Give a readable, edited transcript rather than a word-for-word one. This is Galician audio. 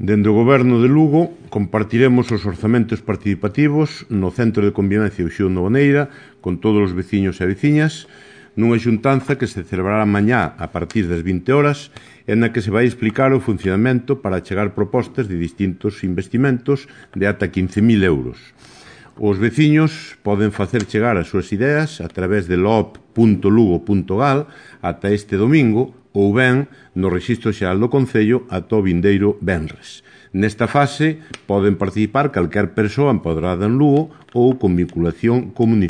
Dende o Goberno de Lugo compartiremos os orzamentos participativos no Centro de Convivencia Uxío Novoneira con todos os veciños e veciñas nunha xuntanza que se celebrará mañá a partir das 20 horas e na que se vai explicar o funcionamento para chegar propostas de distintos investimentos de ata 15.000 euros. Os veciños poden facer chegar as súas ideas a través de loop.lugo.gal ata este domingo ou ben no Rexistro Xeral do Concello ata o vindeiro venres. Nesta fase poden participar calquer persoa empoderada en Lugo ou con vinculación comunitaria.